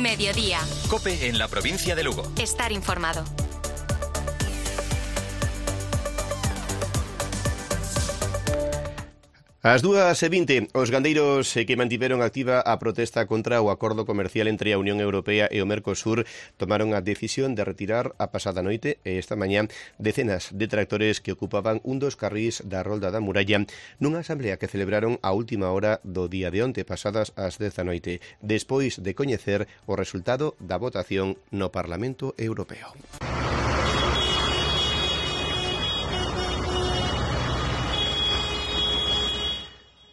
Mediodía. COPE en la provincia de Lugo. Estar informado. Ás 2:20, os gandeiros que mantiveron activa a protesta contra o acordo comercial entre a Unión Europea e o Mercosur tomaron a decisión de retirar a pasada noite e esta mañá decenas de tractores que ocupaban un dos carrís da Rolda da Muralla nunha asamblea que celebraron a última hora do día de onte, pasadas as 10 da noite, despois de coñecer o resultado da votación no Parlamento Europeo.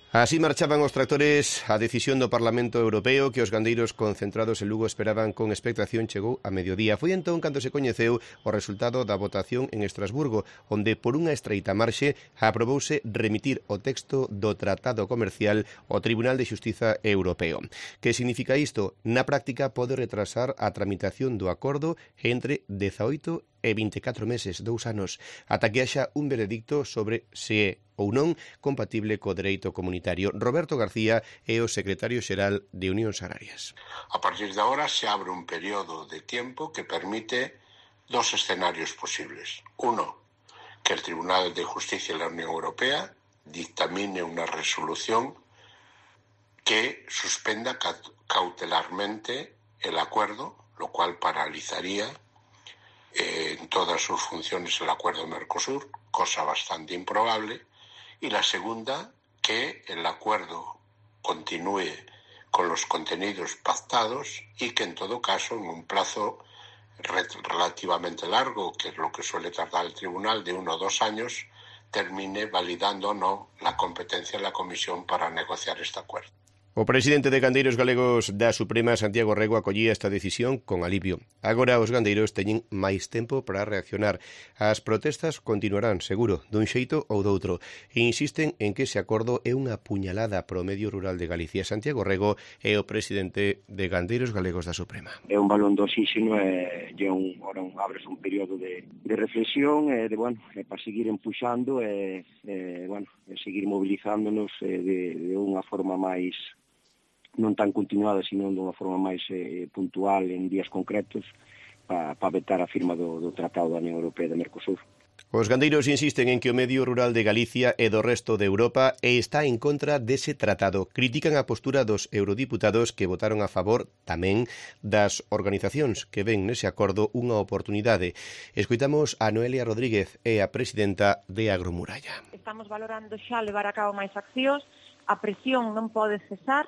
Así marchaban os tractores. A decisión do Parlamento Europeo que os gandeiros concentrados en Lugo esperaban con expectación chegou a mediodía. Foi entón cando se coñeceu o resultado da votación en Estrasburgo, onde por unha estreita marxe aprobouse remitir o texto do Tratado Comercial ao Tribunal de Xustiza Europeo. Que significa isto? Na práctica pode retrasar a tramitación do acordo entre 18 e 24 meses, 2 anos, ata que haxa un veredicto sobre se é ou non compatible co dereito comunitario. Roberto García é o secretario xeral de Unións Agrarias. A partir de ahora se abre un período de tiempo que permite dos escenarios posibles. Uno, que el Tribunal de Justicia de la Unión Europea dictamine una resolución que suspenda cautelarmente el acuerdo, lo cual paralizaría en todas sus funciones el acuerdo Mercosur, cosa bastante improbable. Y la segunda, que el acuerdo continúe con los contenidos pactados y que en todo caso, en un plazo relativamente largo, que es lo que suele tardar el tribunal, de 1 o 2 años, termine validando o no la competencia de la Comisión para negociar este acuerdo. O presidente de Gandeiros Galegos da Suprema, Santiago Rego, acollía esta decisión con alivio. Agora os gandeiros teñen máis tempo para reaccionar. As protestas continuarán, seguro, dun xeito ou doutro, e insisten en que ese acordo é unha puñalada pro medio rural de Galicia. Santiago Rego é o presidente de Gandeiros Galegos da Suprema. É un balón de oxígeno e abres un período de reflexión e para seguir empuxando e seguir mobilizándonos de unha forma máis non tan continuada, sino de unha forma máis puntual en días concretos para vetar a firma do Tratado da Unión Europea de Mercosur. Os gandeiros insisten en que o medio rural de Galicia e do resto de Europa está en contra dese tratado. Critican a postura dos eurodiputados que votaron a favor tamén das organizacións que ven nese acordo unha oportunidade. Escoitamos a Noelia Rodríguez, é a presidenta de Agromuralla. Estamos valorando xa levar a cabo máis accións, a presión non pode cesar,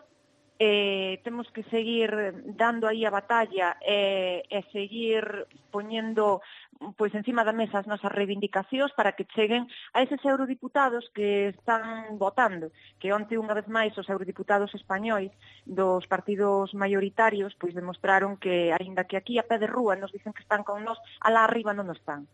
temos que seguir dando aí a batalla e seguir poñendo pois encima da mesa as nosas reivindicacións para que cheguen a eses eurodiputados que están votando, que onte unha vez máis os eurodiputados españois dos partidos maioritarios pois demostraron que, aínda que aquí a pé de rúa nos dicen que están con nós, alá arriba non están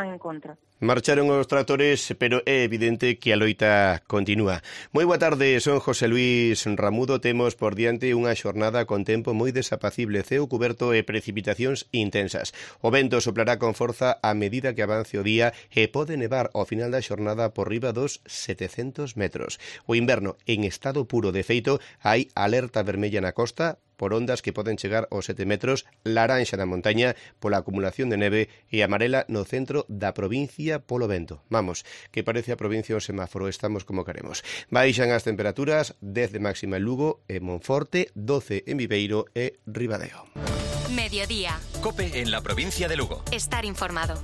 en contra. Marcharon os tractores, pero é evidente que a loita continúa. Moi boa tarde, son José Luis Ramudo. Temos por diante unha xornada con tempo moi desapacible, ceo cuberto e precipitacións intensas. O vento soplará con forza a medida que avance o día e pode nevar ao final da xornada por riba dos 700 metros. O inverno en estado puro. De feito, hai alerta vermella na costa por ondas que poden chegar aos 7 metros, laranxa na montaña pola acumulación de neve e amarela no centro da provincia polo vento. Vamos, que parece a provincia o semáforo, estamos como queremos. Baixan as temperaturas, 10 de máxima en Lugo e Monforte, 12 en Viveiro e Ribadeo. Mediodía. COPE en la provincia de Lugo. Estar informado.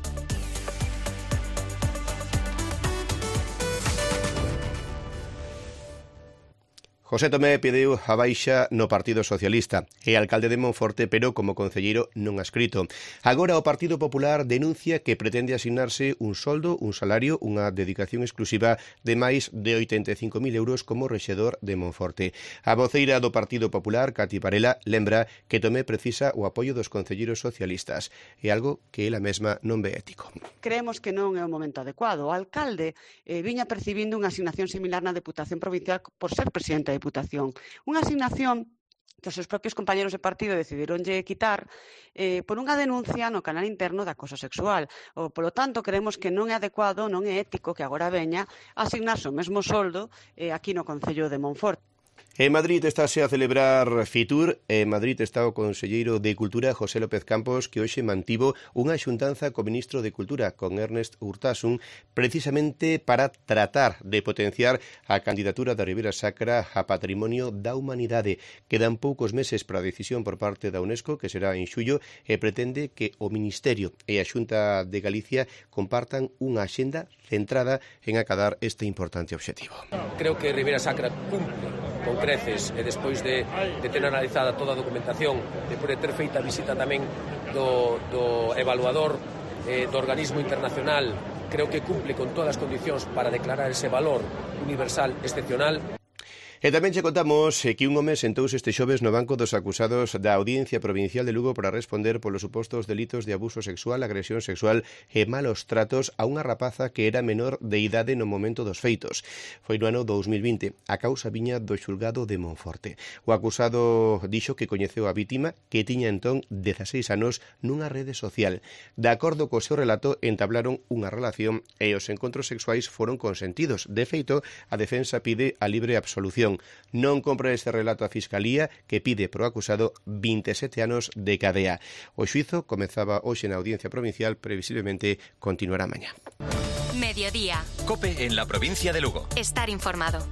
José Tomé pediu a baixa no Partido Socialista. É alcalde de Monforte, pero como concelleiro non adscrito. Agora o Partido Popular denuncia que pretende asignarse un soldo, un salario, unha dedicación exclusiva de máis de 85.000 euros como rexedor de Monforte. A voceira do Partido Popular, Cati Varela, lembra que Tomé precisa o apoio dos concelleiros socialistas. É algo que ela mesma non ve ético. Creemos que non é o momento adecuado. O alcalde viña percibindo unha asignación similar na Deputación Provincial por ser presidente da Deputación. Unha asignación que os seus propios compañeros de partido decidironlle quitar por unha denuncia no canal interno de acoso sexual. Polo tanto, creemos que non é adecuado, non é ético que agora veña a asignarse o mesmo soldo aquí no Concello de Monforte. En Madrid estáse a celebrar Fitur. En Madrid está o conselleiro de Cultura, José López Campos, que hoxe mantivo unha xuntanza co ministro de Cultura, con Ernest Urtasun, precisamente para tratar de potenciar a candidatura da Ribeira Sacra a Patrimonio da Humanidade. Quedan poucos meses para a decisión por parte da UNESCO, que será en xullo, e pretende que o Ministerio e a Xunta de Galicia compartan unha axenda centrada en acadar este importante obxectivo. Creo que Ribeira Sacra cumple con creces e despois de ter analizada toda a documentación, despois de ter feita a visita tamén do evaluador do organismo internacional, creo que cumple con todas as condicións para declarar ese valor universal excepcional. E tamén che contamos que un home sentouse este xoves no banco dos acusados da Audiencia Provincial de Lugo para responder polos supostos delitos de abuso sexual, agresión sexual e malos tratos a unha rapaza que era menor de idade no momento dos feitos. Foi no ano 2020. A causa viña do xulgado de Monforte. O acusado dixo que coñeceu a vítima, que tiña entón 16 anos, nunha rede social. De acordo co seu relato, entablaron unha relación e os encontros sexuais foron consentidos. De feito, a defensa pide a libre absolución. Non compra este relato a Fiscalía, que pide pro acusado 27 anos de cadea. O xuizo comezaba hoxe na Audiencia Provincial, previsiblemente continuará mañá. Mediodía. COPE en la provincia de Lugo. Estar informado.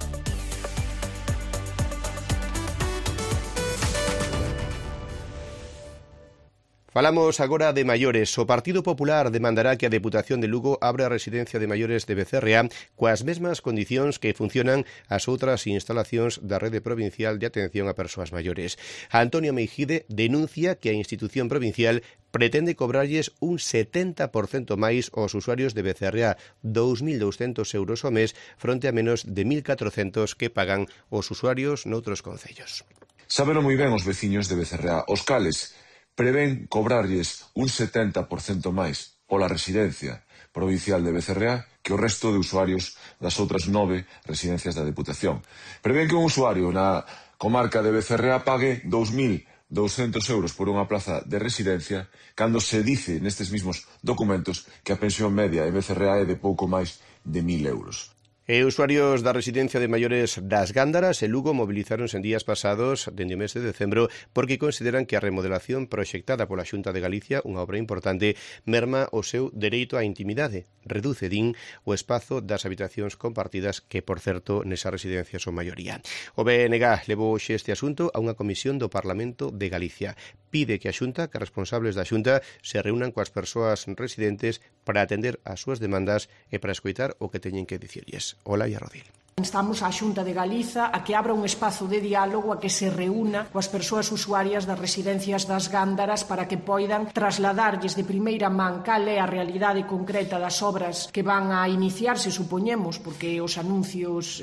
Falamos agora de maiores. O Partido Popular demandará que a Deputación de Lugo abra a residencia de maiores de Becerreá coas mesmas condicións que funcionan as outras instalacións da rede provincial de atención a persoas maiores. Antonio Meijide denuncia que a institución provincial pretende cobrarlles un 70% máis aos usuarios de Becerreá, 2.200 euros ao mes, fronte a menos de 1.400 que pagan os usuarios noutros concellos. Sábeno moi ben os veciños de Becerreá, os cales prevén cobrarlles un 70% máis pola residencia provincial de Becerreá que o resto de usuarios das outras 9 residencias da Deputación. Prevén que un usuario na comarca de Becerreá pague 2.200 euros por unha plaza de residencia cando se dice nestes mesmos documentos que a pensión media en Becerreá é de pouco máis de 1.000 euros. E usuarios da residencia de maiores das Gándaras e Lugo mobilizáronse en días pasados dende o mes de decembro porque consideran que a remodelación proxectada pola Xunta de Galicia, unha obra importante, merma o seu dereito á intimidade. Reduce, din, o espazo das habitacións compartidas que, por certo, nesa residencia son maioría. O BNG levou hoxe este asunto a unha comisión do Parlamento de Galicia. Pide que a Xunta, que responsables da Xunta, se reúnan coas persoas residentes para atender as súas demandas e para escoitar o que teñen que dicirlles. Olaia Rodil. Instamos á Xunta de Galiza a que abra un espazo de diálogo, a que se reúna coas persoas usuarias das residencias das Gándaras para que poidan trasladarlles de primeira man cal é a realidade concreta das obras que van a iniciarse, supoñemos, porque os anuncios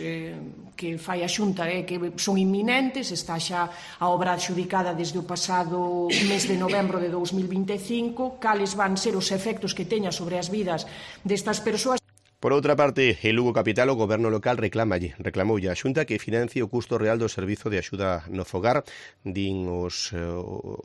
que fai a Xunta que son inminentes, está xa a obra adxudicada desde o pasado mes de novembro de 2025, cales van ser os efectos que teña sobre as vidas destas persoas. Por outra parte, en Lugo Capital o Goberno local reclamoulle a Xunta que financie o custo real do servizo de axuda no fogar. Din os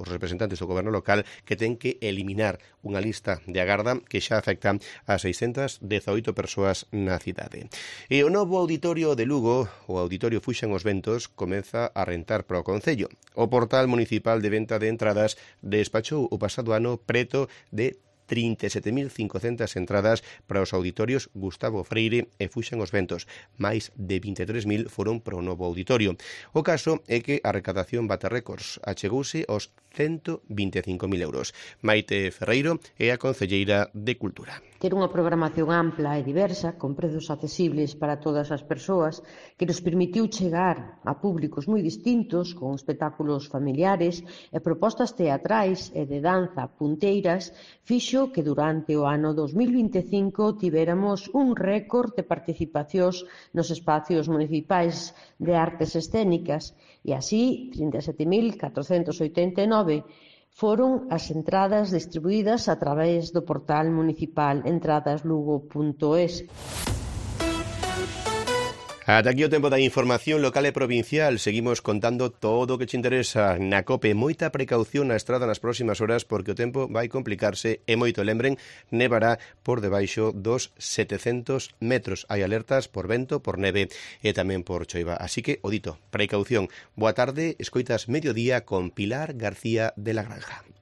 representantes do Goberno local que ten que eliminar unha lista de agarda que xa afecta a 618 persoas na cidade. E o novo auditorio de Lugo, o Auditorio Fuxan os Ventos, comeza a rentar para o Concello. O portal municipal de venta de entradas despachou o pasado ano preto de 37.500 entradas para os auditorios Gustavo Freire e Fuxan os Ventos. Mais de 23.000 foron para o novo auditorio. O caso é que a recadación bate récords. Achegouse aos 125.000 euros. Maite Ferreiro é a concelleira de Cultura. Ter unha programación ampla e diversa, con prezos accesibles para todas as persoas, que nos permitiu chegar a públicos moi distintos, con espectáculos familiares e propostas teatrais e de danza punteiras, fixo que durante o ano 2025 tivéramos un récord de participacións nos espacios municipais de artes escénicas e así 37.489 foron as entradas distribuídas a través do portal municipal entradaslugo.es. Ata aquí o tempo da información local e provincial. Seguimos contando todo o que te interesa na COPE. Moita precaución na estrada nas próximas horas porque o tempo vai complicarse e moito. Lembren, nevará por debaixo dos 700 metros. Hai alertas por vento, por neve e tamén por choiva. Así que, o dito, precaución. Boa tarde, escoitas Mediodía con Pilar García de la Granja.